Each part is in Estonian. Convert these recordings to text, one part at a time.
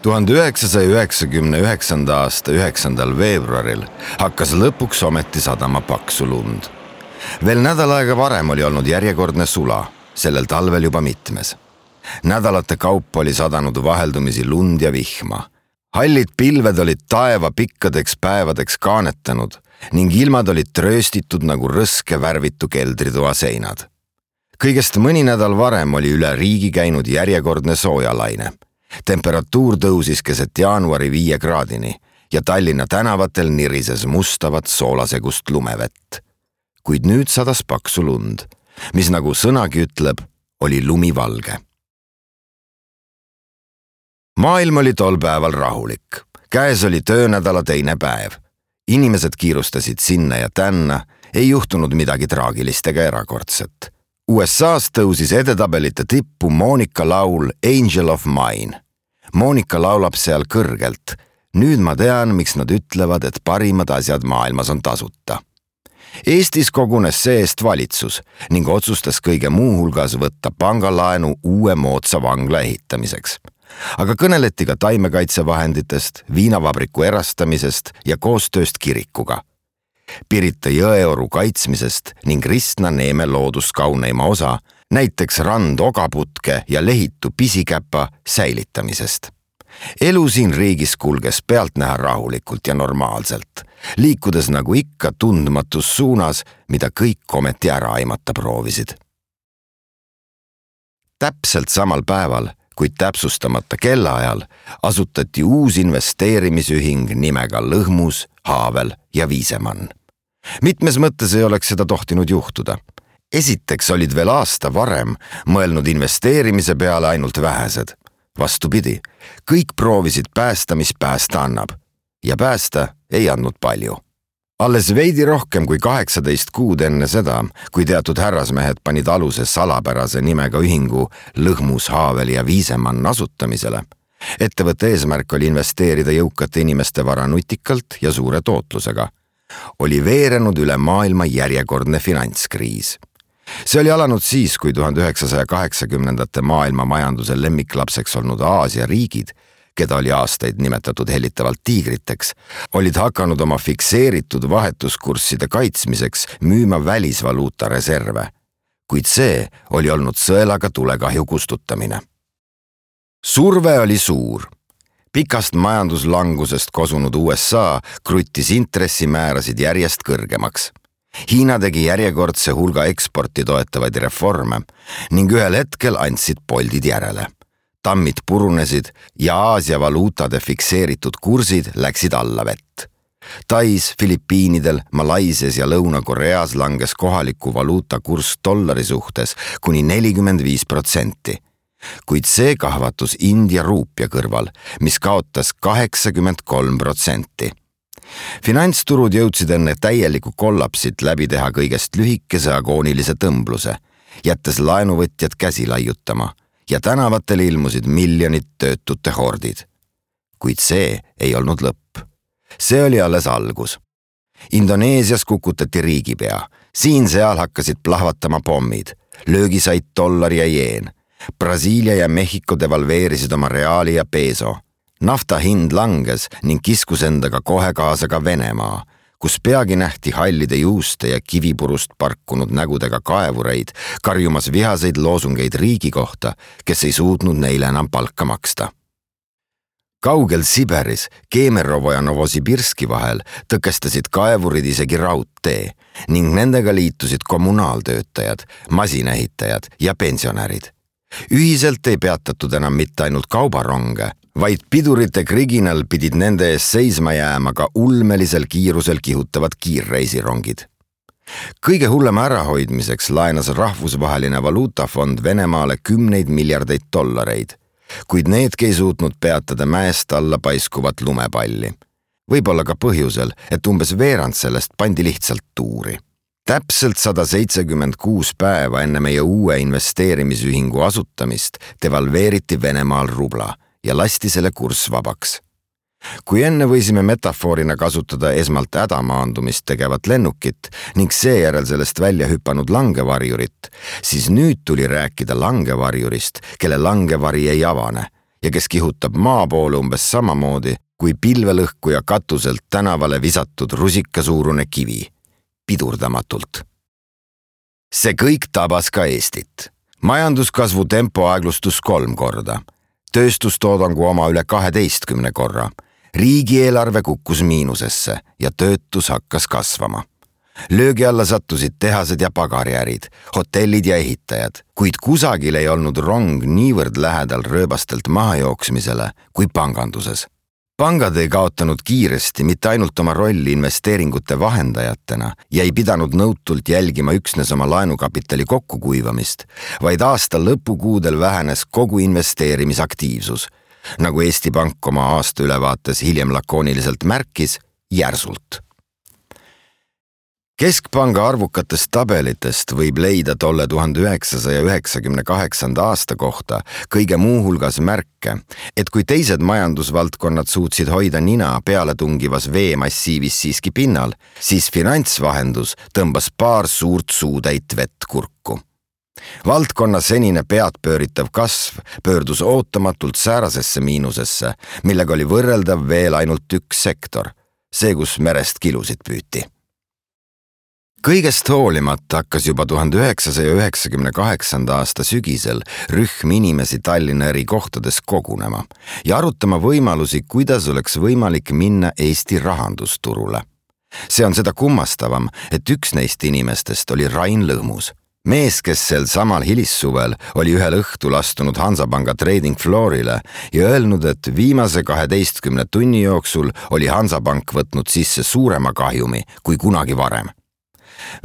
1999. aasta 9. veebruaril hakkas lõpuks ometi sadama paksu lund. Veel nädal aega varem oli olnud järjekordne sula, sellel talvel juba mitmes. Nädalate kaupa oli sadanud vaheldumisi lund ja vihma. Hallid pilved olid taeva pikkadeks päevadeks kaanetanud ning ilmad olid trööstitud nagu rõske värvitu keldritoa seinad. Kõigest mõni nädal varem oli üle riigi käinud järjekordne soojalaine. Temperatuur tõusis keset jaanuari 5 kraadini ja Tallinna tänavatel nirises mustavat soolasegust lumevett. Kuid nüüd sadas paksu lund, mis nagu sõnagi ütleb, oli lumivalge. Maailm oli tol päeval rahulik. Käes oli töönädala teine päev. Inimesed kiirustasid sinna ja tänna, ei juhtunud midagi traagilist ega erakordset. USA's tõusis edetabelite tippu Monika laul Angel of Mine. Monika laulab seal kõrgelt. Nüüd ma tean, miks nad ütlevad, et parimad asjad maailmas on tasuta. Eestis kogunes see-eest valitsus ning otsustas kõige muu hulgas võtta pangalaenu uue moodsa vangla ehitamiseks. Aga kõneleti ka taimekaitsevahenditest, viinavabriku erastamisest ja koostööst kirikuga. Pirita jõeoru kaitsmisest ning Ristna Neeme looduskauneima osa, näiteks rand-ogaputke ja lehitu pisikäpa säilitamisest. Elu siin riigis kulges pealtnäha rahulikult ja normaalselt, liikudes nagu ikka tundmatus suunas, mida kõik ometi ära aimata proovisid. Täpselt samal päeval, kuid täpsustamata kellaajal, asutati uus investeerimisühing nimega Lõhmus, Haavel ja Viisemann. Mitmes mõttes ei oleks seda tohtinud juhtuda. Esiteks olid veel aasta varem mõelnud investeerimise peale ainult vähesed. Vastupidi, kõik proovisid päästa, mis päästa annab. Ja päästa ei andnud palju. Alles veidi rohkem kui 18 kuud enne seda, kui teatud härrasmehed panid aluse salapärase nimega ühingu Lõhmus, Haavel ja Viisemann asutamisele. Ettevõtte eesmärk oli investeerida jõukate inimeste vara nutikalt ja suure tootlusega. Oli veerenud üle maailma järjekordne finantskriis. See oli alanud siis, kui 1980. maailma majanduse lemmiklapseks olnud Aasia riigid, keda oli aastaid nimetatud hellitavalt tiigriteks, olid hakanud oma fikseeritud vahetuskursside kaitsmiseks müüma välisvaluuta reserve. Kuid see oli olnud sõelaga tulekahju kustutamine. Surve oli suur. Pikast majanduslangusest kosunud USA kruttis intressimäärasid järjest kõrgemaks. Hiina tegi järjekordse hulga eksporti toetavaid reforme ning ühel hetkel andsid poldid järele. Tammid purunesid ja Aasia valuutade fikseeritud kursid läksid alla vett. Tais, Filipiinidel, Malaisias ja Lõuna-Koreas langes kohaliku valuuta kurss dollari suhtes kuni 45%. Kuid see kahvatus India ruupia kõrval, mis kaotas 83%. Finantsturud jõudsid enne täieliku kollapsit läbi teha kõigest lühikese agoonilise tõmbluse, jättes laenuvõtjad käsi laiutama ja tänavatel ilmusid miljonid töötute hordid. Kuid see ei olnud lõpp. See oli alles algus. Indoneesias kukutati riigipea. Siin-seal hakkasid plahvatama pommid. Löögi said dollar ja jeen. Brasiilia ja Mehhiko devalveerisid oma reaali ja peso. Nafta hind langes ning kiskus endaga kohe kaasa ka Venemaa, kus peagi nähti hallide juuste ja kivipurust parkunud nägudega kaevureid, karjumas vihaseid loosungeid riigi kohta, kes ei suutnud neile enam palka maksta. Kaugel Siberis, Kemerovo ja Novosibirski vahel tõkestasid kaevurid isegi raudtee ning nendega liitusid kommunaaltöötajad, masinaehitajad ja pensionärid. Ühiselt ei peatatud enam mitte ainult kaubaronge, vaid pidurite kriginal pidid nende ees seisma jääma ka ulmelisel kiirusel kihutavad kiirreisirongid. Kõige hullema ärahoidmiseks laenas rahvusvaheline valuutafond Venemaale 10 miljardeid dollareid, kuid needki ei suutnud peatada mäest alla paiskuvat lumepalli. Võib-olla ka põhjusel, et umbes veerand sellest pandi lihtsalt tuuri. Täpselt 176 päeva enne meie uue investeerimisühingu asutamist devalveeriti Venemaal rubla ja lasti selle kurss vabaks. Kui enne võisime metafoorina kasutada esmalt hädamaandumist tegevat lennukit ning seejärel sellest välja hüpanud langevarjurit, siis nüüd tuli rääkida langevarjurist, kelle langevari ei avane ja kes kihutab maa poole umbes samamoodi kui pilvelõhkuja katuselt tänavale visatud rusikasuurune kivi, pidurdamatult. See kõik tabas ka Eestit. Majanduskasvu tempo aeglustus 3 korda, tööstustoodangu oma üle 12 korra, riigieelarve kukkus miinusesse ja töötus hakkas kasvama. Löögi alla sattusid tehased ja pagariärid, hotellid ja ehitajad, kuid kusagil ei olnud rong niivõrd lähedal rööbastelt mahajooksmisele kui panganduses. Pangad ei kaotanud kiiresti mitte ainult oma rolli investeeringute vahendajatena ja ei pidanud nõutult jälgima üksnes oma laenukapitali kokkukuivamist, vaid aasta lõpukuudel vähenes kogu investeerimisaktiivsus, nagu Eesti Pank oma aastaülevaates hiljem lakooniliselt märkis, järsult. Keskpanga arvukatest tabelitest võib leida tolle 1998. aasta kohta kõige muu hulgas märke, et kui teised majandusvaldkonnad suutsid hoida nina pealetungivas veemassiivis siiski pinnal, siis finantsvahendus tõmbas paar suurt suutäit vett kurku. Valdkonna senine peadpööritav kasv pöördus ootamatult säärasesse miinusesse, millega oli võrreldav veel ainult üks sektor, see, kus merest kilusid püüti. Kõigest hoolimata hakkas juba 1998. aasta sügisel rühm inimesi Tallinna eri kohtades kogunema ja arutama võimalusi, kuidas oleks võimalik minna Eesti rahandusturule. See on seda kummastavam, et üks neist inimestest oli Rain Lõhmus. Mees, kes sel samal hilissuvel oli ühel õhtul astunud Hansapanga trading floorile ja öelnud, et viimase 12 tunni jooksul oli Hansapank võtnud sisse suurema kahjumi kui kunagi varem.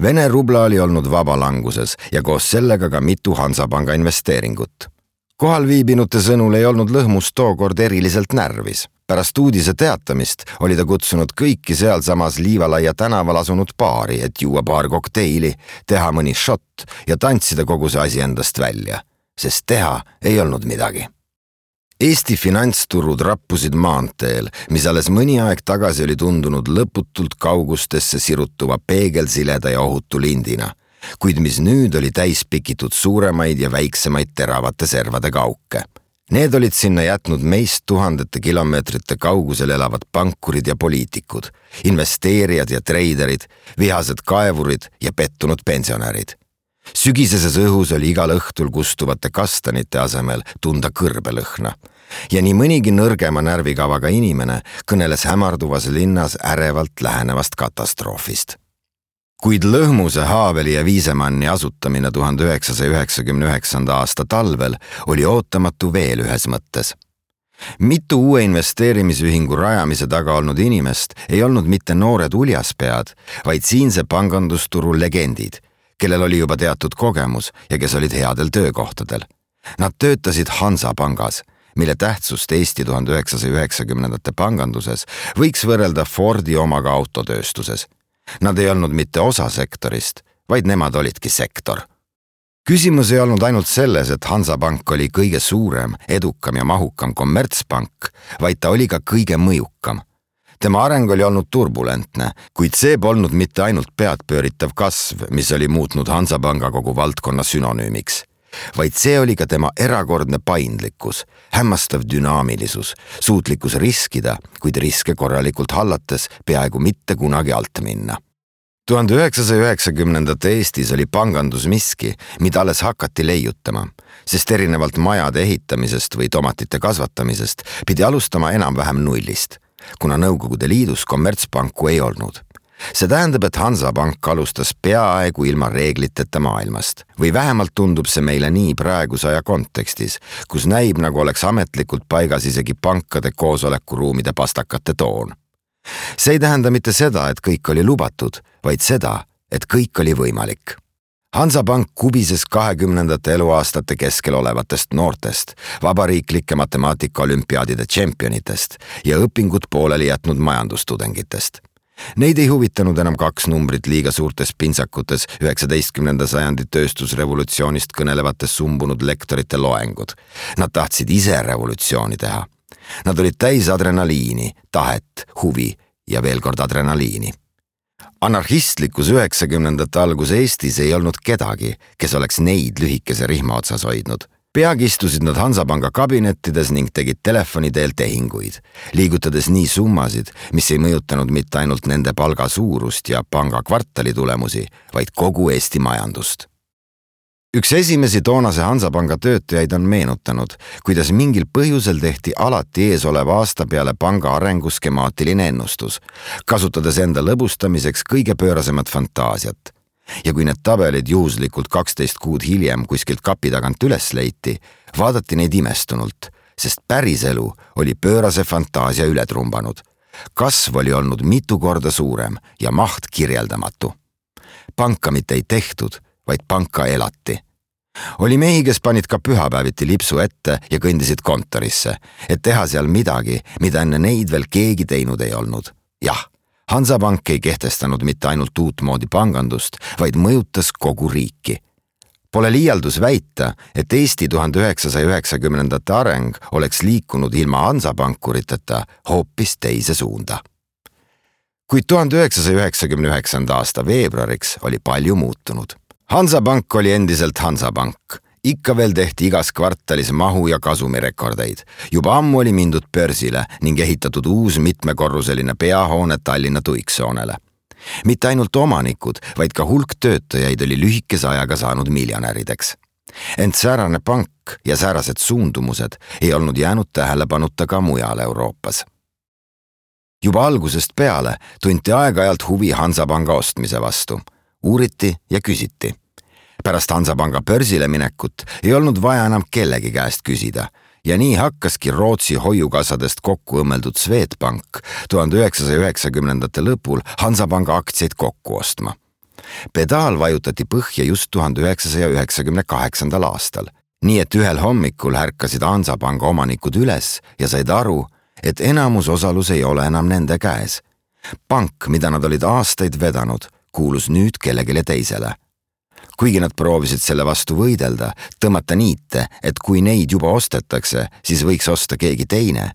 Vene rubla oli olnud vabalanguses ja koos sellega ka mitu Hansapanga investeeringut. Kohal viibinute sõnul ei olnud Lõhmus tookord eriliselt närvis. Pärast uudise teatamist oli ta kutsunud kõiki sealsamas Liivalaia tänaval asunud baari, et juua paar kokteili, teha mõni shot ja tantsida kogu see asi endast välja, sest teha ei olnud midagi. Eesti finantsturud rappusid maanteel, mis alles mõni aeg tagasi oli tundunud lõputult kaugustesse sirutuva peegelsileda ja ohutu lindina, kuid mis nüüd oli täis pikitud suuremaid ja väiksemaid teravate servadega auke. Need olid sinna jätnud meist tuhandete kilomeetrite kaugusel elavad pankurid ja poliitikud, investeerijad ja treiderid, vihased kaevurid ja pettunud pensionärid. Sügiseses õhus oli igal õhtul kustuvate kastanite asemel tunda kõrbelõhna ja nii mõnigi nõrgema närvikavaga inimene kõneles hämarduvas linnas ärevalt lähenevast katastroofist. Kuid Lõhmuse, Haaveli ja Viisemanni asutamine 1999. aasta talvel oli ootamatu veel ühes mõttes. Mitu uue investeerimisühingu rajamise taga olnud inimest ei olnud mitte noored uljaspead, vaid siinse pangandusturu legendid, kellel oli juba teatud kogemus ja kes olid headel töökohtadel. Nad töötasid Hansapangas, mille tähtsust Eesti 1990. panganduses võiks võrrelda Fordi omaga autotööstuses. Nad ei olnud mitte osa sektorist, vaid nemad olidki sektor. Küsimus ei olnud ainult selles, et Hansapank oli kõige suurem, edukam ja mahukam kommertspank, vaid ta oli ka kõige mõjukam. Tema areng oli olnud turbulentne, kuid see polnud mitte ainult peadpööritav kasv, mis oli muutnud Hansapanga kogu valdkonna sünonüümiks, vaid see oli ka tema erakordne paindlikkus, hämmastav dünaamilisus, suutlikkus riskida, kuid riske korralikult hallates peaaegu mitte kunagi alt minna. 1990. Eestis oli pangandus miski, mida alles hakati leiutama, sest erinevalt majade ehitamisest või tomatite kasvatamisest pidi alustama enam-vähem nullist, kuna Nõukogude Liidus kommertspanku ei olnud. See tähendab, et Hansapank alustas peaaegu ilma reegliteta maailmast või vähemalt tundub see meile nii praeguse aja kontekstis, kus näib, nagu oleks ametlikult paigas isegi pankade koosolekuruumide pastakate toon. See ei tähenda mitte seda, et kõik oli lubatud, vaid seda, et kõik oli võimalik. Hansapank kubises 20. eluaastate keskel olevatest noortest, vabariiklike matemaatikaolümpiaadide tšempionitest ja õpingud pooleli jätnud majandustudengitest. Neid ei huvitanud enam 2 numbrit liiga suurtes pintsakutes 19. sajandi tööstusrevolutsioonist kõnelevates sumbunud lektorite loengud. Nad tahtsid ise revolutsiooni teha. Nad olid täis adrenaliini, tahet, huvi ja veel kord adrenaliini. Anarhistlikus 90. algus Eestis ei olnud kedagi, kes oleks neid lühikese rihma otsas hoidnud. Peagi istusid nad Hansapanga kabinettides ning tegid telefoni teel tehinguid, liigutades nii summasid, mis ei mõjutanud mitte ainult nende palga suurust ja panga kvartali tulemusi, vaid kogu Eesti majandust. Üks esimesi toonase Hansapanga töötajaid on meenutanud, kuidas mingil põhjusel tehti alati eesoleva aasta peale panga arengu skemaatiline ennustus, kasutades enda lõbustamiseks kõige pöörasemat fantaasiat. Ja kui need tabelid juhuslikult 12 kuud hiljem kuskilt kapi tagant üles leiti, vaadati neid imestunult, sest päriselu oli pöörase fantaasia üle trumbanud. Kasv oli olnud mitu korda suurem ja maht kirjeldamatu. Panka mitte ei tehtud, vaid panka elati. Oli mehi, kes panid ka pühapäeviti lipsu ette ja kõndisid kontorisse, et teha seal midagi, mida enne neid veel keegi teinud ei olnud. Jah, Hansapank ei kehtestanud mitte ainult uut moodi pangandust, vaid mõjutas kogu riiki. Pole liialdus väita, et Eesti 1990. areng oleks liikunud ilma Hansapankuriteta hoopis teise suunda. Kuid 1999. aasta veebruariks oli palju muutunud. Hansapank oli endiselt Hansapank. Ikka veel tehti igas kvartalis mahu ja kasumirekordeid. Juba ammu oli mindud börsile ning ehitatud uus mitmekorruseline peahoone Tallinna Tuiksoonele. Mitte ainult omanikud, vaid ka hulk töötajaid oli lühikese ajaga saanud miljonärideks. Ent säärane pank ja säärased suundumused ei olnud jäänud tähelepanuta ka mujal Euroopas. Juba algusest peale tunti aeg-ajalt huvi Hansapanga ostmise vastu. Uuriti ja küsiti. Pärast Hansapanga börsile minekut ei olnud vaja enam kellegi käest küsida ja nii hakkaski Rootsi hoiukassadest kokku õmmeldud Swedbank 1990. lõpul Hansapanga aktsiaid kokku ostma. Pedaal vajutati põhja just 1998. aastal, nii et ühel hommikul ärkasid Hansapanga omanikud üles ja said aru, et enamus osalus ei ole enam nende käes. Pank, mida nad olid aastaid vedanud, kuulus nüüd kellegile teisele. Kuigi nad proovisid selle vastu võidelda, tõmmata niite, et kui neid juba ostetakse, siis võiks osta keegi teine.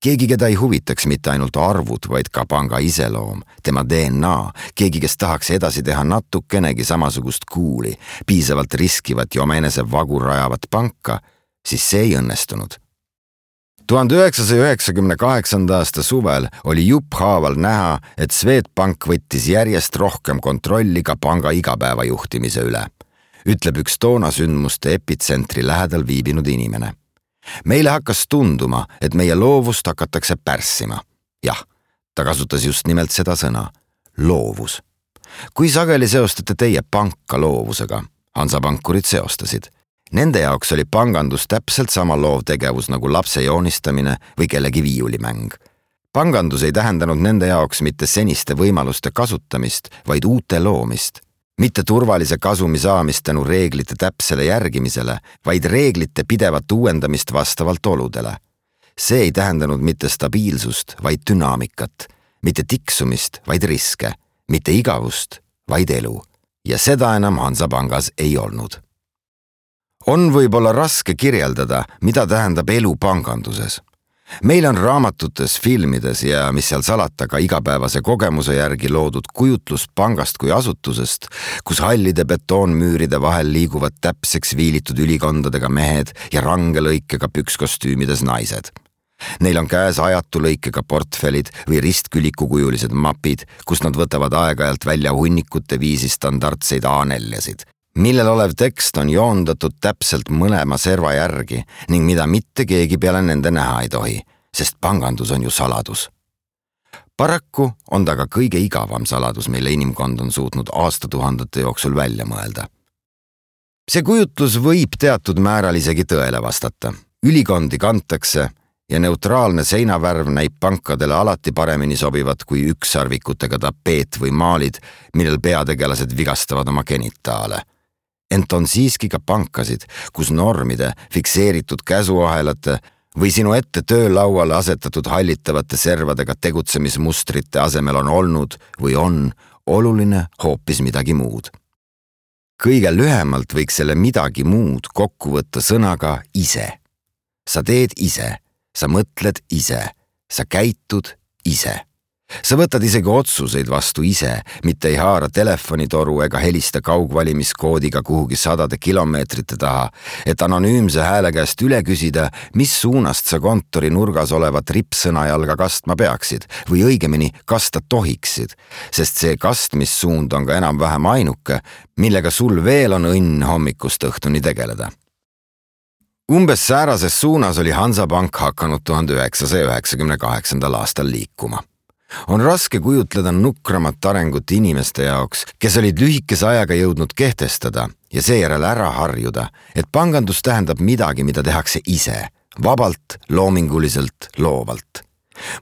Keegi, keda ei huvitaks mitte ainult arvud, vaid ka panga iseloom, tema DNA, keegi, kes tahaks edasi teha natukenegi samasugust kuuli, piisavalt riskivat ja omaenese vagu rajavat panka, siis see ei õnnestunud. 1998. aasta suvel oli jupphaaval näha, et Swedbank võttis järjest rohkem kontrolli ka panga igapäeva juhtimise üle, ütleb üks toona sündmuste epitsentri lähedal viibinud inimene. Meile hakkas tunduma, et meie loovust hakatakse pärssima. Jah, ta kasutas just nimelt seda sõna, loovus. Kui sageli seostate teie panka loovusega? Hansapankurid seostasid. Nende jaoks oli pangandus täpselt sama loovtegevus nagu lapse joonistamine või kellegi viiulimäng. Pangandus ei tähendanud nende jaoks mitte seniste võimaluste kasutamist, vaid uute loomist. Mitte turvalise kasumi saamist tänu reeglite täpsele järgimisele, vaid reeglite pidevat uuendamist vastavalt oludele. See ei tähendanud mitte stabiilsust, vaid dünaamikat, mitte tiksumist, vaid riske, mitte igavust, vaid elu. Ja seda enam Hansapangas ei olnud. On võib-olla raske kirjeldada, mida tähendab elu panganduses. Meil on raamatutes, filmides ja mis seal salata ka igapäevase kogemuse järgi loodud kujutlus pangast kui asutusest, kus hallide betoonmüüride vahel liiguvad täpseks viilitud ülikondadega mehed ja range lõikega pükskostüümides naised. Neil on käes ajatu lõikega portfellid või ristkülikukujulised mapid, kus nad võtavad aeg-ajalt välja hunnikute viisi standardseid A4-sid, millel olev tekst on joondatud täpselt mõlema serva järgi ning mida mitte keegi peale nende näha ei tohi, sest pangandus on ju saladus. Paraku on ta ka kõige igavam saladus, mille inimkond on suutnud aastatuhandete jooksul välja mõelda. See kujutlus võib teatud määral isegi tõele vastata. Ülikondi kantakse ja neutraalne seinavärv näib pankadele alati paremini sobivat kui ükssarvikutega tapeet või maalid, millel peategelased vigastavad oma genitaale. Ent on siiski ka pankasid, kus normide, fikseeritud käsuahelate või sinu ette töölauale asetatud hallitavate servadega tegutsemismustrite asemel on olnud või on oluline hoopis midagi muud. Kõige lühemalt võiks selle midagi muud kokku võtta sõnaga ise. Sa teed ise, sa mõtled ise, sa käitud ise. Sa võtad isegi otsuseid vastu ise, mitte ei haara telefonitoru ega helista kaugvalimiskoodiga kuhugi sadade kilomeetrite taha, et anonüümse hääle käest üle küsida, mis suunast sa kontori nurgas olevat rippsõnajalga kastma peaksid või õigemini kasta tohiksid, sest see kastmissuund on ka enam-vähem ainuke, millega sul veel on õnn hommikust õhtuni tegeleda. Umbes säärases suunas oli Hansapank hakanud 1998. aastal liikuma. On raske kujutleda nukramat arengut inimeste jaoks, kes olid lühikese ajaga jõudnud kehtestada ja seejärel ära harjuda, et pangandus tähendab midagi, mida tehakse ise, vabalt, loominguliselt, loovalt.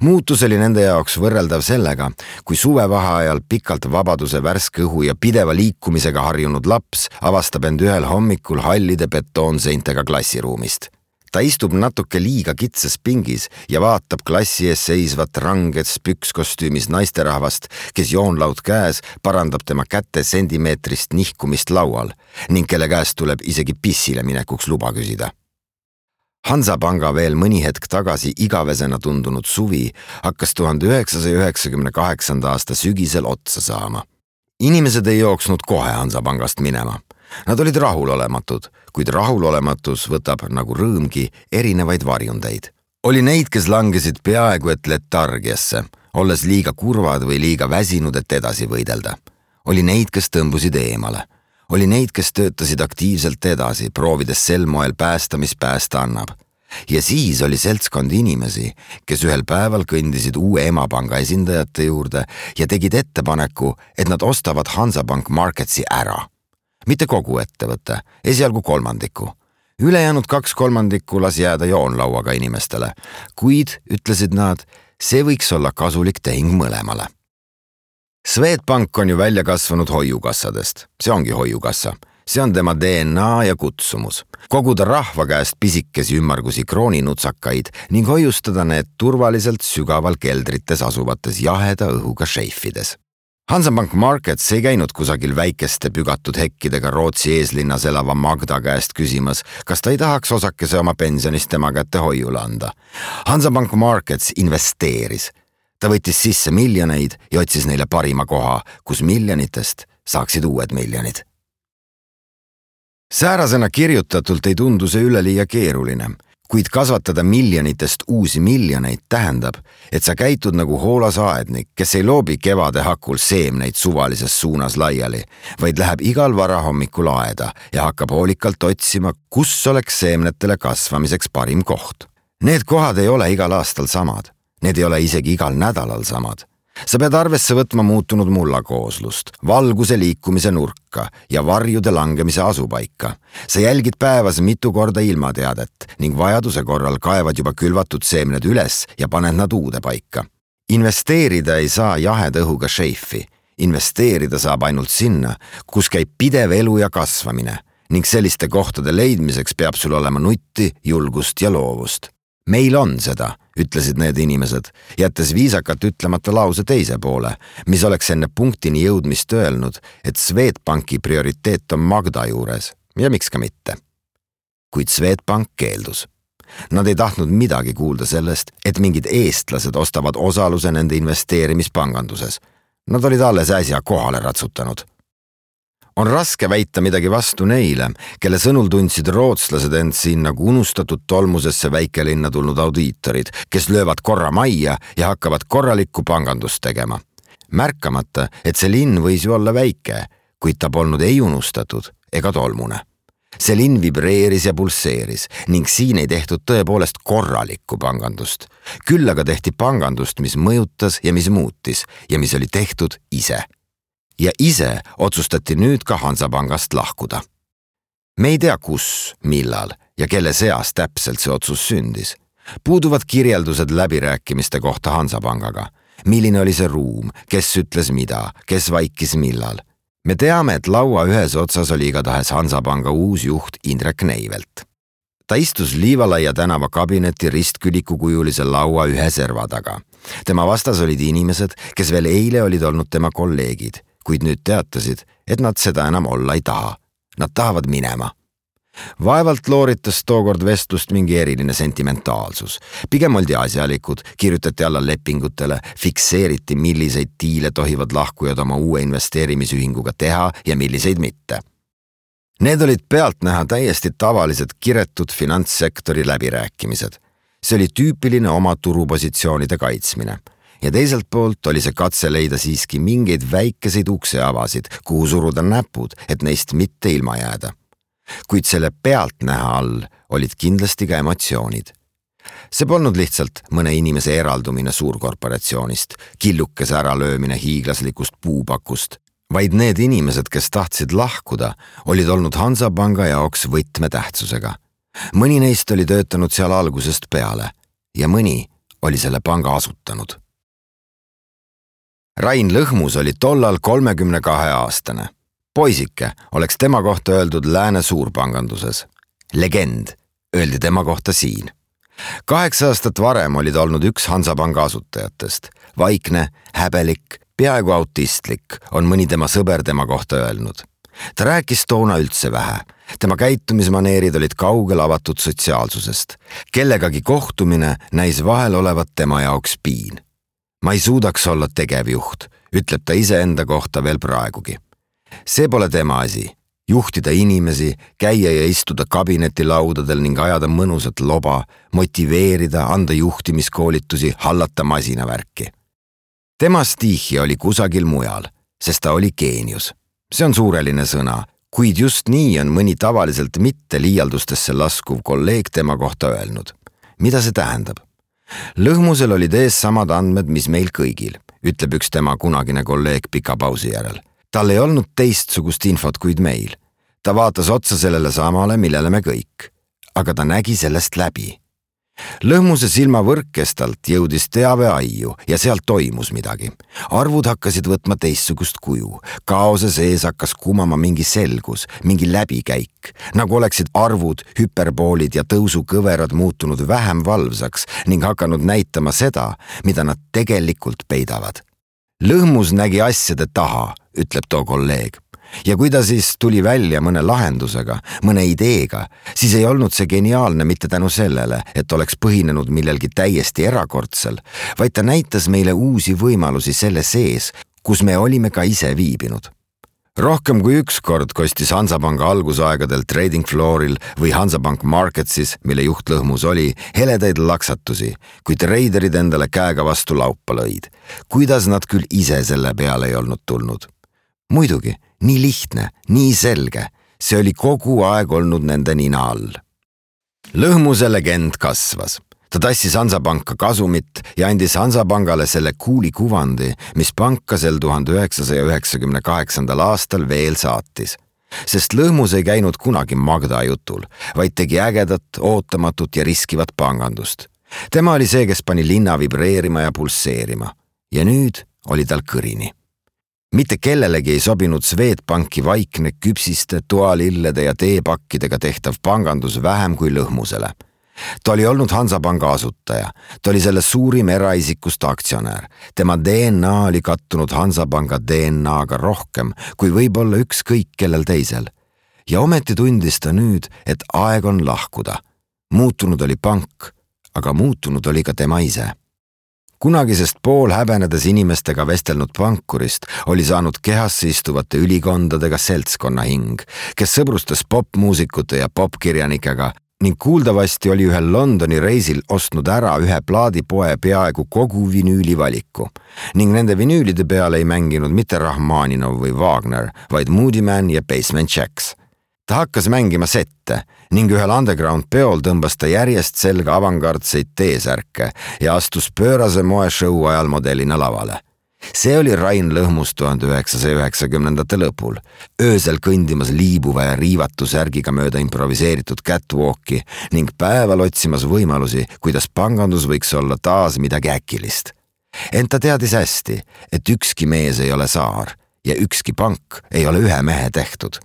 Muutus oli nende jaoks võrreldav sellega, kui suvevaheajal pikalt vabaduse värske õhu ja pideva liikumisega harjunud laps avastab end ühel hommikul hallide betoonseintega klassiruumist. Ta istub natuke liiga kitsas pingis ja vaatab klassi ees seisvat ranges pükskostüümis naisterahvast, kes joonlaud käes parandab tema käte sentimeetrist nihkumist laual ning kelle käest tuleb isegi pissile minekuks luba küsida. Hansapanga veel mõni hetk tagasi igavesena tundunud suvi hakkas 1998. aasta sügisel otsa saama. Inimesed ei jooksnud kohe Hansapangast minema. Nad olid rahulolematud, kuid rahulolematus võtab nagu rõõmgi erinevaid varjundeid. Oli neid, kes langesid peaaegu et letargiasse, olles liiga kurvad või liiga väsinud, et edasi võidelda. Oli neid, kes tõmbusid eemale. Oli neid, kes töötasid aktiivselt edasi, proovides sel moel päästa, mis päästa annab. Ja siis oli seltskond inimesi, kes ühel päeval kõndisid uue emapanga esindajate juurde ja tegid ettepaneku, et nad ostavad Hansapank Marketsi ära. Mitte kogu ettevõtte, esialgu kolmandiku. Ülejäänud 2/3 las jääda joonlauaga inimestele, kuid, ütlesid nad, see võiks olla kasulik tehing mõlemale. Swedbank on ju välja kasvanud hoiukassadest. See ongi hoiukassa. See on tema DNA ja kutsumus. Koguda rahva käest pisikesi ümmargusi krooninutsakaid ning hoiustada need turvaliselt sügaval keldrites asuvates jaheda õhuga šeifides. Hansapank Markets ei käinud kusagil väikeste pügatud hekkidega Rootsi eeslinnas elava Magda käest küsimas, kas ta ei tahaks osakese oma pensionist tema kätte hoiule anda. Hansapank Markets investeeris. Ta võttis sisse miljoneid ja otsis neile parima koha, kus miljonitest saaksid uued miljonid. Säärasena kirjutatult ei tundu see üleliia keeruline, kuid kasvatada miljonitest uusi miljoneid tähendab, et sa käitud nagu hoolas aednik, kes ei loobi kevade hakul seemneid suvalises suunas laiali, vaid läheb igal varahommikul aeda ja hakkab hoolikalt otsima, kus oleks seemnetele kasvamiseks parim koht. Need kohad ei ole igal aastal samad. Need ei ole isegi igal nädalal samad. Sa pead arvesse võtma muutunud mullakooslust, valguse liikumise nurka ja varjude langemise asupaika. Sa jälgid päevas mitu korda ilmateadet ning vajaduse korral kaevad juba külvatud seemned üles ja paned nad uude paika. Investeerida ei saa jaheda õhuga šeifi. Investeerida saab ainult sinna, kus käib pidev elu ja kasvamine ning selliste kohtade leidmiseks peab sul olema nutti, julgust ja loovust. Meil on seda, ütlesid need inimesed, jättes viisakat ütlemata lause teise poole, mis oleks enne punktini jõudmist öelnud, et Swedbanki prioriteet on Magda juures ja miks ka mitte. Kuid Swedbank keeldus. Nad ei tahtnud midagi kuulda sellest, et mingid eestlased ostavad osaluse nende investeerimispanganduses. Nad olid alles äsja kohale ratsutanud. On raske väita midagi vastu neile, kelle sõnul tundsid rootslased end siin nagu unustatud tolmusesse väikelinna tulnud audiitorid, kes löövad korra majja ja hakkavad korralikku pangandust tegema. Märkamata, et see linn võis ju olla väike, kuid ta polnud ei unustatud ega tolmune. See linn vibreeris ja pulseeris ning siin ei tehtud tõepoolest korralikku pangandust. Küll aga tehti pangandust, mis mõjutas ja mis muutis ja mis oli tehtud ise. Ja ise otsustati nüüd ka Hansapangast lahkuda. Me ei tea kus, millal ja kelle seas täpselt see otsus sündis. Puuduvad kirjeldused läbirääkimiste kohta Hansapangaga. Milline oli see ruum, kes ütles mida, kes vaikis millal. Me teame, et laua ühes otsas oli igatahes Hansapanga uus juht Indrek Neivelt. Ta istus Liivalaia tänava kabineti ristkülikukujulise laua ühe serva taga. Tema vastas olid inimesed, kes veel eile olid olnud tema kolleegid, kuid nüüd teatasid, et nad seda enam olla ei taha. Nad tahavad minema. Vaevalt looritas tookord vestlust mingi eriline sentimentaalsus. Pigem oldi asjalikud, kirjutati alla lepingutele, fikseeriti, milliseid diile tohivad lahkujad oma uue investeerimisühinguga teha ja milliseid mitte. Need olid pealtnäha täiesti tavalised kiretud finantssektori läbirääkimised. See oli tüüpiline oma turupositsioonide kaitsmine. Ja teiselt poolt oli see katse leida siiski mingeid väikeseid ukseavasid, kuhu suruda näpud, et neist mitte ilma jääda. Kuid selle pealtnäha all olid kindlasti ka emotsioonid. See polnud lihtsalt mõne inimese eraldumine suurkorporatsioonist, killukese äralöömine hiiglaslikust puupakust, vaid need inimesed, kes tahtsid lahkuda, olid olnud Hansapanga jaoks võtmetähtsusega. Mõni neist oli töötanud seal algusest peale ja mõni oli selle panga asutanud. Rain Lõhmus oli tollal 32-aastane. Poisike oleks tema kohta öeldud lääne suurpanganduses. Legend öeldi tema kohta siin. 8 aastat varem oli ta olnud üks Hansapanga asutajatest. Vaikne, häbelik, peaaegu autistlik on mõni tema sõber tema kohta öelnud. Ta rääkis toona üldse vähe. Tema käitumismaneerid olid kaugel avatud sotsiaalsusest. Kellegagi kohtumine näis vahel olevat tema jaoks piin. Ma ei suudaks olla tegevjuht, ütleb ta iseenda kohta veel praegugi. See pole tema asi. Juhtida inimesi, käia ja istuda kabinetilaudadel ning ajada mõnusat loba, motiveerida, anda juhtimiskoolitusi, hallata masinavärki. Tema stiihi oli kusagil mujal, sest ta oli geenius. See on suureline sõna, kuid just nii on mõni tavaliselt mitte liialdustesse laskuv kolleeg tema kohta öelnud. Mida see tähendab? Lõhmusel olid ees samad andmed, mis meil kõigil, ütleb üks tema kunagine kolleeg pika pausi järel. Tal ei olnud teistsugust infot kuid meil. Ta vaatas otsa sellele samale, millele me kõik. Aga ta nägi sellest läbi. Lõhmuse silmavõrkkestalt jõudis teave aiu ja sealt toimus midagi. Arvud hakkasid võtma teistsugust kuju. Kaose sees hakkas kumama mingi selgus, mingi läbikäik. Nagu oleksid arvud, hüperboolid ja tõusukõverad muutunud vähem valvsaks ning hakanud näitama seda, mida nad tegelikult peidavad. Lõhmus nägi asjade taha, ütleb too kolleeg. Ja kui ta siis tuli välja mõne lahendusega, mõne ideega, siis ei olnud see geniaalne mitte tänu sellele, et oleks põhinenud millelgi täiesti erakordsel, vaid ta näitas meile uusi võimalusi selle sees, kus me olime ka ise viibinud. Rohkem kui üks kord kostis Hansapanga algusaegadel trading flooril või Hansapank Marketsis, mille juht Lõhmus oli, heledaid laksatusi, kui treiderid endale käega vastu laupa lõid. Kuidas nad küll ise selle peale ei olnud tulnud? Muidugi, nii lihtne, nii selge, see oli kogu aeg olnud nende nina all. Lõhmuse legend kasvas. Ta tassis Hansapanka kasumit ja andis Hansapangale selle kuuli kuvandi, mis panka sel 1998. aastal veel saatis. Sest Lõhmus ei käinud kunagi Magda jutul, vaid tegi ägedat, ootamatut ja riskivat pangandust. Tema oli see, kes pani linna vibreerima ja pulseerima. Ja nüüd oli tal kõrini. Mitte kellelegi ei sobinud Swedbanki vaikne küpsiste, toalillede ja teepakkidega tehtav pangandus vähem kui Lõhmusele. Ta oli olnud Hansapanga asutaja, ta oli selle suurim eraisikust aktsionär. Tema DNA oli kattunud Hansapanga DNA-ga rohkem kui võib-olla ükskõik kellel teisel. Ja ometi tundis ta nüüd, et aeg on lahkuda. Muutunud oli pank, aga muutunud oli ka tema ise. Kunagisest pool häbenedes inimestega vestelnud pankurist oli saanud kehasse istuvate ülikondadega seltskonna hing, kes sõbrustas popmuusikute ja popkirjanikega ning kuuldavasti oli ühel Londoni reisil ostnud ära ühe plaadipoe peaaegu kogu vinüülivaliku ning nende vinüülide peale ei mänginud mitte Rahmaninov või Wagner, vaid Moody Man ja Basement Jaxx. Ta hakkas mängima sette ning ühel underground peol tõmbas ta järjest selga avangardseid T-särke ja astus pöörase moeshow ajal modellina lavale. See oli Rain Lõhmus 1990. lõpul, öösel kõndimas liibuva ja riivatu särgiga mööda improviseeritud catwalki ning päeval otsimas võimalusi, kuidas pangandus võiks olla taas midagi äkilist. Ent ta teadis hästi, et ükski mees ei ole saar ja ükski pank ei ole ühe mehe tehtud.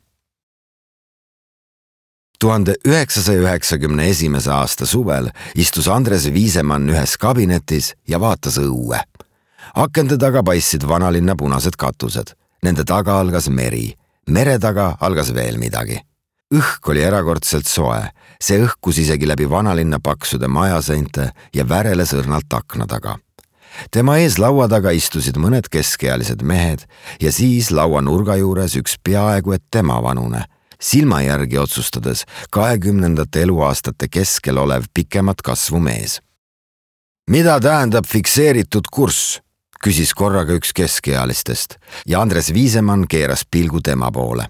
1991. aasta suvel istus Andres Viisemann ühes kabinetis ja vaatas õue. Akende taga paistsid vanalinna punased katused. Nende taga algas meri. Mere taga algas veel midagi. Õhk oli erakordselt soe, see õhkus isegi läbi vanalinna paksude majaseinte ja väreles õrnalt akna taga. Tema ees laua taga istusid mõned keskealised mehed ja siis laua nurga juures üks peaaegu et tema vanune, silma järgi otsustades 20. eluaastate keskel olev pikemat kasvu mees. Mida tähendab fikseeritud kurss? Küsis korraga üks keskealistest ja Andres Viisemann keeras pilgu tema poole.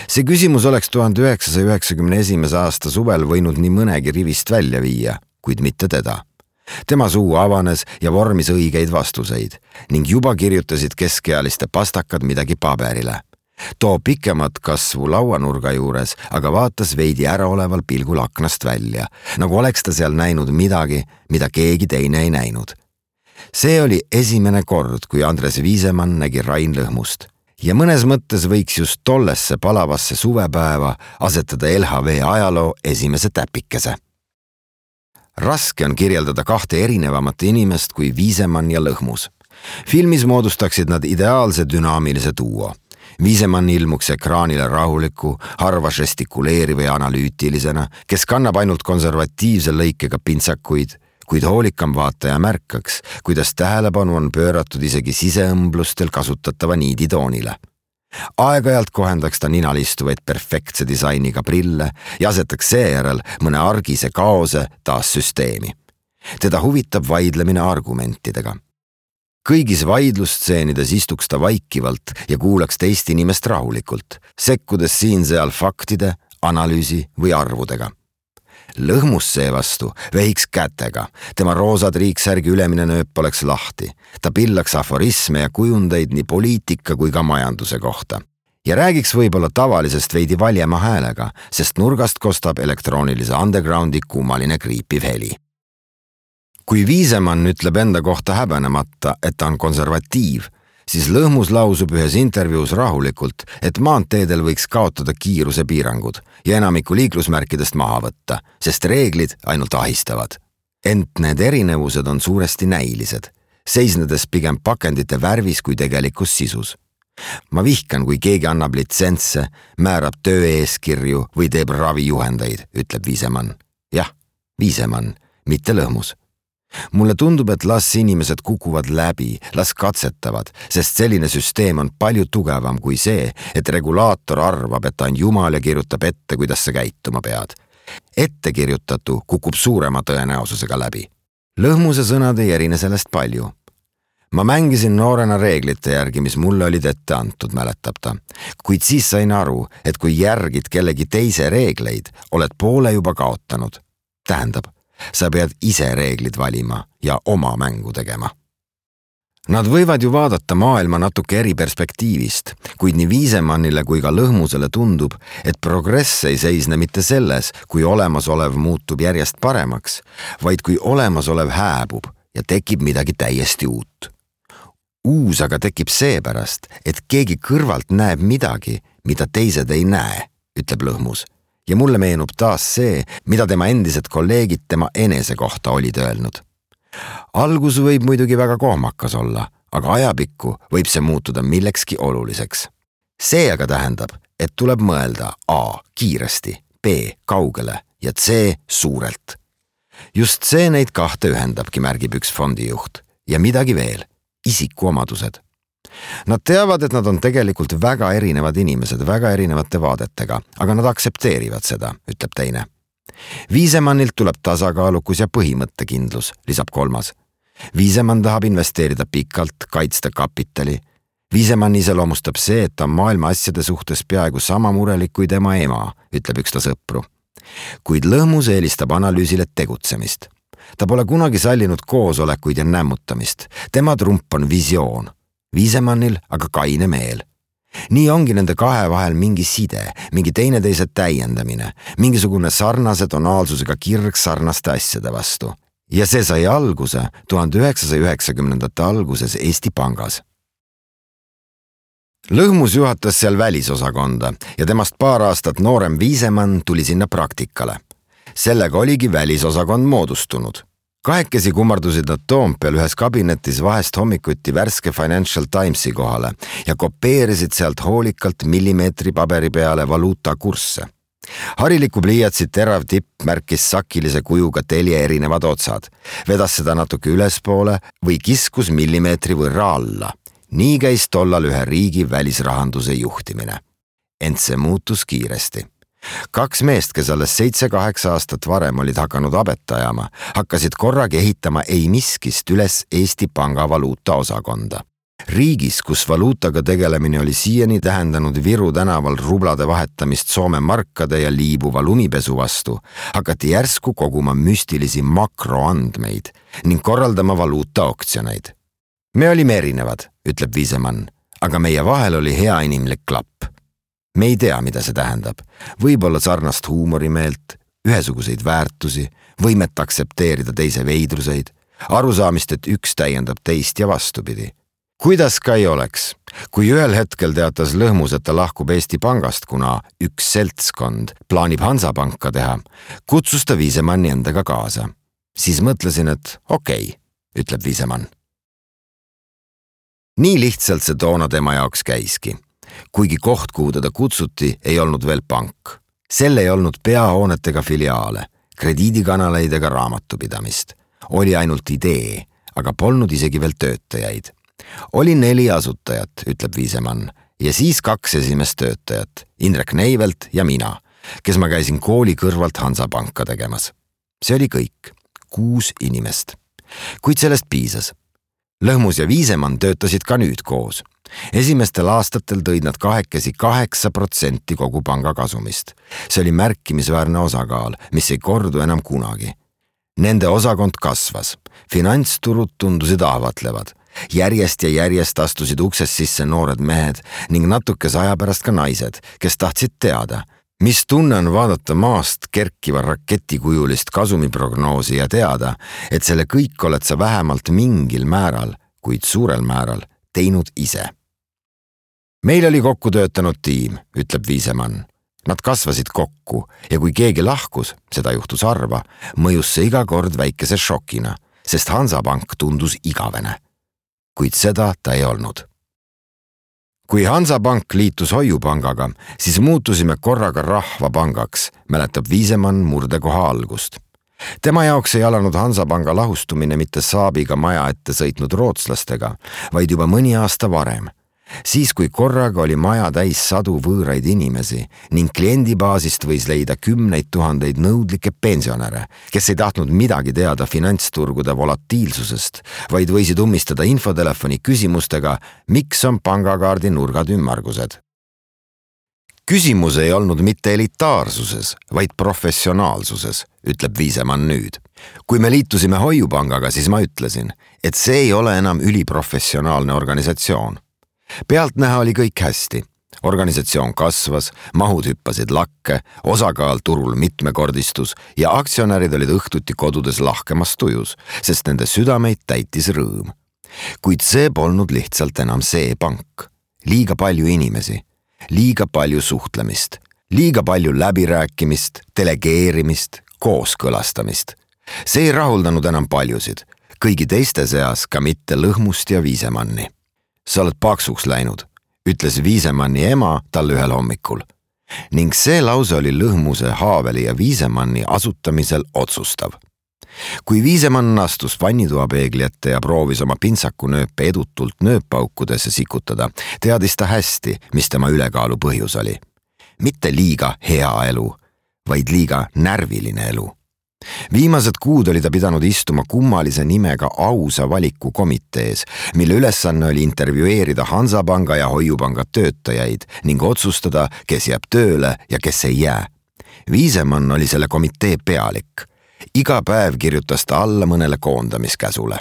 See küsimus oleks 1991. aasta suvel võinud nii mõnegi rivist välja viia, kuid mitte teda. Tema suu avanes ja vormis õigeid vastuseid ning juba kirjutasid keskealiste pastakad midagi paberile. Too pikemat kasvu lauanurga juures aga vaatas veidi äraoleval pilgul aknast välja, nagu oleks ta seal näinud midagi, mida keegi teine ei näinud. See oli esimene kord, kui Andres Viisemann nägi Rain Lõhmust ja mõnes mõttes võiks just tollesse palavasse suvepäeva asetada LHV ajaloo esimese täpikese. Raske on kirjeldada kahte erinevamat inimest kui Viisemann ja Lõhmus. Filmis moodustaksid nad ideaalse dünaamilise duo. Viisemann ilmuks ekraanile rahuliku, harva žestikuleeriva ja analüütilisena, kes kannab ainult konservatiivse lõikega pintsakuid, kuid hoolikam vaataja märkaks, kuidas tähelepanu on pööratud isegi siseõmblustel kasutatava niiditoonile. Aeg-ajalt kohendaks ta ninal istuvaid perfektse disainiga prille ja asetaks seejärel mõne argise kaose taas süsteemi. Teda huvitab vaidlemine argumentidega. Kõigis vaidlustseenides istuks ta vaikivalt ja kuulaks teist inimest rahulikult, sekkudes siin-seal faktide, analüüsi või arvudega. Lõhmus seevastu vehiks kätega, tema roosad riiksärgi ülemine nööp oleks lahti. Ta pillaks aforisme ja kujundeid nii poliitika kui ka majanduse kohta. Ja räägiks võib-olla tavalisest veidi valjema häälega, sest nurgast kostab elektroonilise undergroundi kummaline kriipiv heli. Kui Viisemann ütleb enda kohta häbenemata, et ta on konservatiiv, siis Lõhmus lausub ühes intervjuus rahulikult, et maanteedel võiks kaotada kiiruse piirangud ja enamiku liiklusmärkidest maha võtta, sest reeglid ainult ahistavad. Ent need erinevused on suuresti näilised, seisnedes pigem pakendite värvis kui tegelikus sisus. Ma vihkan, kui keegi annab litsentse, määrab tööeeskirju või teeb ravijuhendeid, ütleb Viisemann. Jah, Viisemann, mitte Lõhmus. Mulle tundub, et las inimesed kukuvad läbi, las katsetavad, sest selline süsteem on palju tugevam kui see, et regulaator arvab, et ta on jumal ja kirjutab ette, kuidas sa käituma pead. Ettekirjutatu kukub suurema tõenäosusega läbi. Lõhmuse sõnad ei erine sellest palju. Ma mängisin noorena reeglite järgi, mis mulle olid ette antud, mäletab ta. Kuid siis sain aru, et kui järgid kellegi teise reegleid, oled poole juba kaotanud. Tähendab, sa pead ise reeglid valima ja oma mängu tegema. Nad võivad ju vaadata maailma natuke eri perspektiivist, kuid nii Viisemannile kui ka Lõhmusele tundub, et progress ei seisne mitte selles, kui olemasolev muutub järjest paremaks, vaid kui olemasolev hääbub ja tekib midagi täiesti uut. Uus aga tekib seepärast, et keegi kõrvalt näeb midagi, mida teised ei näe, ütleb Lõhmus. Ja mulle meenub taas see, mida tema endised kolleegid tema enese kohta olid öelnud. Algus võib muidugi väga kohmakas olla, aga ajapikku võib see muutuda millekski oluliseks. See aga tähendab, et tuleb mõelda A kiiresti, B kaugele ja C suurelt. Just see neid kahte ühendabki, märgib üks fondijuht. Ja midagi veel, isikuomadused. Nad teavad, et nad on tegelikult väga erinevad inimesed, väga erinevate vaadetega, aga nad aktsepteerivad seda, ütleb teine. Viisemannilt tuleb tasakaalukus ja põhimõttekindlus, lisab kolmas. Viisemann tahab investeerida pikalt, kaitsta kapitali. Viisemann iseloomustab see, et ta on maailma asjade suhtes peaaegu sama murelik kui tema ema, ütleb üks ta sõpru. Kuid Lõhmus eelistab analüüsile tegutsemist. Ta pole kunagi sallinud koosolekuid ja nämmutamist. Tema trump on visioon. Viisemannil aga kaine meel. Nii ongi nende kahe vahel mingi side, mingi teineteise täiendamine, mingisugune sarnase tonaalsusega kirg sarnaste asjade vastu. Ja see sai alguse 1990. alguses Eesti Pangas. Lõhmus juhatas seal välisosakonda ja temast paar aastat noorem Viisemann tuli sinna praktikale. Sellega oligi välisosakond moodustunud. Kahekesi kummardusid nad Toompeal ühes kabinetis vahest hommikuti värske Financial Timesi kohale ja kopeerisid sealt hoolikalt millimeetri paberi peale valuutakursse. Hariliku pliiatsi terav tipp märkis sakilise kujuga telje erinevad otsad, vedas seda natuke ülespoole või kiskus millimeetri võrra alla. Nii käis tollal ühe riigi välisrahanduse juhtimine. Ent see muutus kiiresti. 2 meest, kes alles 7-8 aastat varem olid hakanud abet ajama, hakkasid korraga ehitama ei miskist üles Eesti Panga valuuta osakonda. Riigis, kus valuutaga tegelemine oli siiani tähendanud Viru tänaval rublade vahetamist Soome markade ja liibuva lumipesu vastu, hakati järsku koguma müstilisi makroandmeid ning korraldama valuuta oktsioneid. Me olime erinevad, ütleb Viisemann, aga meie vahel oli hea inimlik klapp. Me ei tea, mida see tähendab. Võib-olla sarnast huumorimeelt, ühesuguseid väärtusi, võimet aksepteerida teise veidruseid, arusaamist, et üks täiendab teist ja vastupidi. Kuidas ka ei oleks, kui ühel hetkel teatas Lõhmus, et ta lahkub Eesti Pangast, kuna üks seltskond plaanib Hansapanka teha, kutsus ta Viisemanni endaga kaasa. Siis mõtlesin, et okei, ütleb Viisemann. Nii lihtsalt see toona tema jaoks käiski. Kuigi koht, kuhu teda kutsuti, ei olnud veel pank. Sel ei olnud peahoonetega filiaale, krediidikanaleid ega raamatupidamist. Oli ainult idee, aga polnud isegi veel töötajaid. Oli 4 asutajat, ütleb Viisemann, ja siis 2 esimest töötajat, Indrek Neivelt ja mina, kes ma käisin kooli kõrvalt Hansapanka tegemas. See oli kõik, 6 inimest. Kuid sellest piisas. Lõhmus ja Viisemann töötasid ka nüüd koos. Esimestel aastatel tõid nad kahekesi 8% kogu panga kasumist. See oli märkimisväärne osakaal, mis ei kordu enam kunagi. Nende osakond kasvas, finantsturud tundusid ahvatlevad. Järjest ja järjest astusid uksest sisse noored mehed ning natukese aja pärast ka naised, kes tahtsid teada, mis tunne on vaadata maast kerkiva raketikujulist kasumiprognoosi ja teada, et selle kõik oled sa vähemalt mingil määral, kuid suurel määral, teinud ise. Meil oli kokku töötanud tiim, ütleb Viisemann. Nad kasvasid kokku ja kui keegi lahkus, seda juhtus harva, mõjus see iga kord väikese šokina, sest Hansapank tundus igavene. Kuid seda ta ei olnud. Kui Hansapank liitus Hoiupangaga, siis muutusime korraga rahvapangaks, mäletab Viisemann murdekoha algust. Tema jaoks ei alanud Hansapanga lahustumine mitte Saabiga maja ette sõitnud rootslastega, vaid juba mõni aasta varem. Siis, kui korraga oli maja täis 100 võõraid inimesi ning kliendibaasist võis leida 10 000 nõudlikke pensionäre, kes ei tahtnud midagi teada finantsturgude volatiilsusest, vaid võisid ummistada infotelefoni küsimustega, miks on pangakaardi nurgad ümmargused. Küsimus ei olnud mitte elitaarsuses, vaid professionaalsuses, ütleb Viisemann nüüd. Kui me liitusime Hoiupangaga, siis ma ütlesin, et see ei ole enam üliprofessionaalne organisatsioon. Pealtnäha oli kõik hästi. Organisatsioon kasvas, mahud hüppasid lakke, osakaal turul mitmekordistus ja aktsionärid olid õhtuti kodudes lahkemas tujus, sest nende südameid täitis rõõm. Kuid see polnud lihtsalt enam see pank. Liiga palju inimesi, liiga palju suhtlemist, liiga palju läbirääkimist, delegeerimist, kooskõlastamist. See ei rahuldanud enam paljusid, kõigi teiste seas ka mitte Lõhmust ja Viisemanni. Sa oled paksuks läinud, ütles Viisemanni ema talle ühel hommikul. Ning see lause oli Lõhmuse, Haaveli ja Viisemanni asutamisel otsustav. Kui Viisemann astus vannitoapeegli ette ja proovis oma pintsakunööpe edutult nööpaukudesse sikutada, teadis ta hästi, mis tema ülekaalu põhjus oli. Mitte liiga hea elu, vaid liiga närviline elu. Viimased kuud oli ta pidanud istuma kummalise nimega ausa valiku komitees, mille ülesanne oli intervjueerida Hansapanga ja Hoiupanga töötajaid ning otsustada, kes jääb tööle ja kes ei jää. Viisemann oli selle komitee pealik. Iga päev kirjutas ta alla mõnele koondamiskäsule.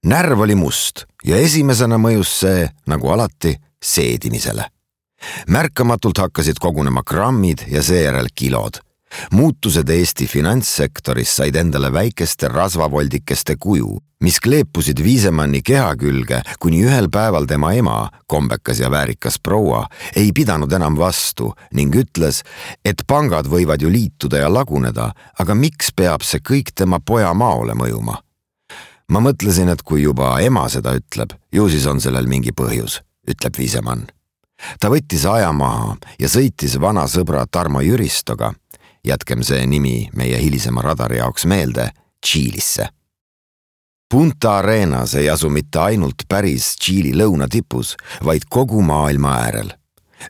Närv oli must ja esimesena mõjus see, nagu alati, seedimisele. Märkamatult hakkasid kogunema grammid ja seejärel kilod. Muutused Eesti finantssektoris said endale väikeste rasvavoldikeste kuju, mis kleepusid Viisemanni keha külge, kuni ühel päeval tema ema, kombekas ja väärikas proua, ei pidanud enam vastu ning ütles, et pangad võivad ju liituda ja laguneda, aga miks peab see kõik tema poja maole mõjuma? Ma mõtlesin, et kui juba ema seda ütleb, ju siis on sellel mingi põhjus, ütleb Viisemann. ta võttis aja maha ja sõitis vana sõbra Tarmo Jüristoga, jätkem see nimi meie hilisema radari jaoks meelde, Tšiilisse. Punta Arenas ei asu mitte ainult päris Tšiili lõunatipus, vaid kogu maailma äärel.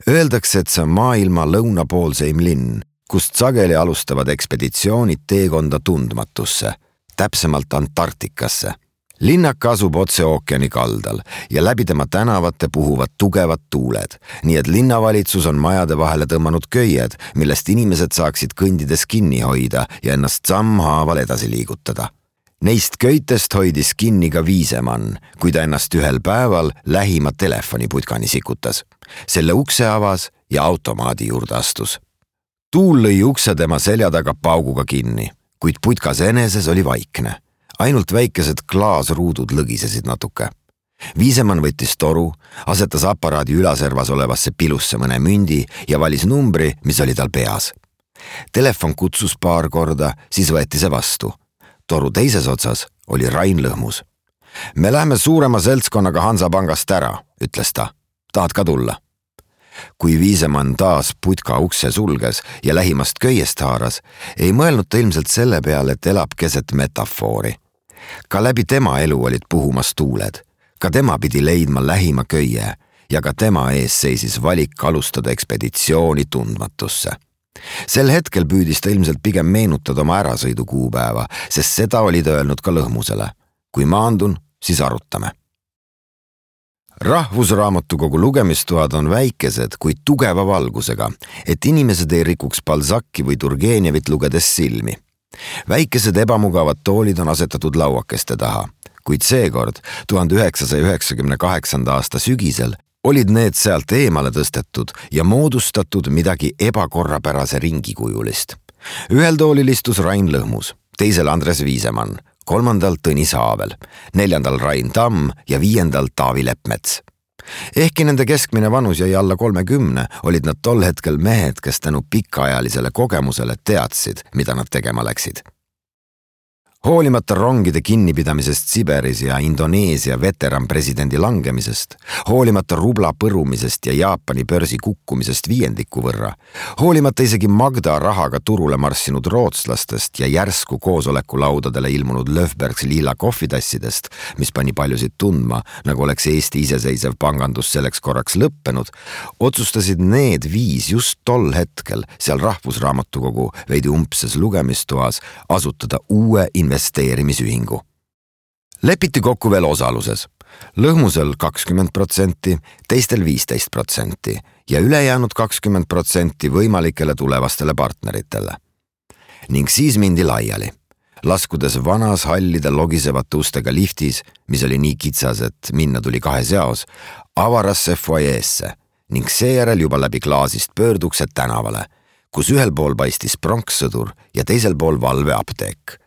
Öeldakse, et see on maailma lõunapoolseim linn, kust sageli alustavad ekspeditsioonid teekonda tundmatusse, täpsemalt Antarktikasse. Linnaka asub otse ookeani kaldal ja läbi tema tänavate puhuvad tugevad tuuled, nii et linnavalitsus on majade vahele tõmmanud köied, millest inimesed saaksid kõndides kinni hoida ja ennast sammhaaval edasi liigutada. Neist köitest hoidis kinni ka Viisemann, kui ta ennast ühel päeval lähima telefoniputkani sikutas. Selle ukse avas ja automaadi juurde astus. Tuul lõi ukse tema selja taga pauguga kinni, kuid putkas eneses oli vaikne. Ainult väikesed klaasruudud lõgisesid natuke. Viisemann võttis toru, asetas aparaadi ülaservas olevasse pilusse mõne mündi ja valis numbri, mis oli tal peas. Telefon kutsus paar korda, siis võeti see vastu. Toru teises otsas oli Rain Lõhmus. Me lähme suurema seltskonnaga Hansapangast ära, ütles ta. Tahad ka tulla? Kui Viisemann taas putka ukse sulges ja lähimast köiest haaras, ei mõelnud ta ilmselt selle peale, et elab keset metafoori. Ka läbi tema elu olid puhumas tuuled. Ka tema pidi leidma lähima köie ja ka tema ees seisis valik alustada ekspeditsiooni tundmatusse. Sel hetkel püüdis ta ilmselt pigem meenutada oma ärasõidu kuupäeva, sest seda oli ta öelnud ka Lõhmusele. Kui maandun, siis arutame. Rahvusraamatukogu lugemistoad on väikesed, kuid tugeva valgusega, et inimesed ei rikuks Balzacki või Turgenevit lugedes silmi. Väikesed ebamugavad toolid on asetatud lauakeste taha, kuid seekord 1998. aasta sügisel olid need sealt eemale tõstetud ja moodustatud midagi ebakorrapärase ringikujulist. Ühel toolil istus Rain Lõhmus, teisel Andres Viisemann, kolmandal Tõnis Haavel, neljandal Rain Tamm ja viiendal Taavi Leppmets. Ehkki nende keskmine vanus jäi alla 30, olid nad tol hetkel mehed, kes tänu pikaajalisele kogemusele teadsid, mida nad tegema läksid. Hoolimata rongide kinnipidamisest Siberis ja Indoneesia veteranpresidendi langemisest, hoolimata rubla põrumisest ja Jaapani börsi kukkumisest viiendiku võrra, hoolimata isegi Magda rahaga turule marssinud rootslastest ja järsku koosolekulaudadele ilmunud Löfbergs lila kohvitassidest, mis pani paljusid tundma, nagu oleks Eesti iseseisev pangandus selleks korraks lõppenud, otsustasid need viis just tol hetkel seal Rahvusraamatukogu veidi umbses lugemistoas asutada uue investeerimisühingu. Lepiti kokku veel osaluses. Lõhmusel 20%, teistel 15% ja ülejäänud 20% võimalikele tulevastele partneritele. Ning siis mindi laiali, laskudes vanas hallide logisevate ustega liftis, mis oli nii kitsas, et minna tuli kahes jaos, avarasse foyeesse ning seejärel juba läbi klaasist pöörduksed tänavale, kus ühel pool paistis pronkssõdur ja teisel pool valveapteek.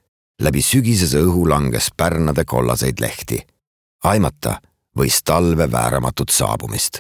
Läbi sügisese õhu langes pärnade kollaseid lehti. Aimata võis talve vääramatut saabumist.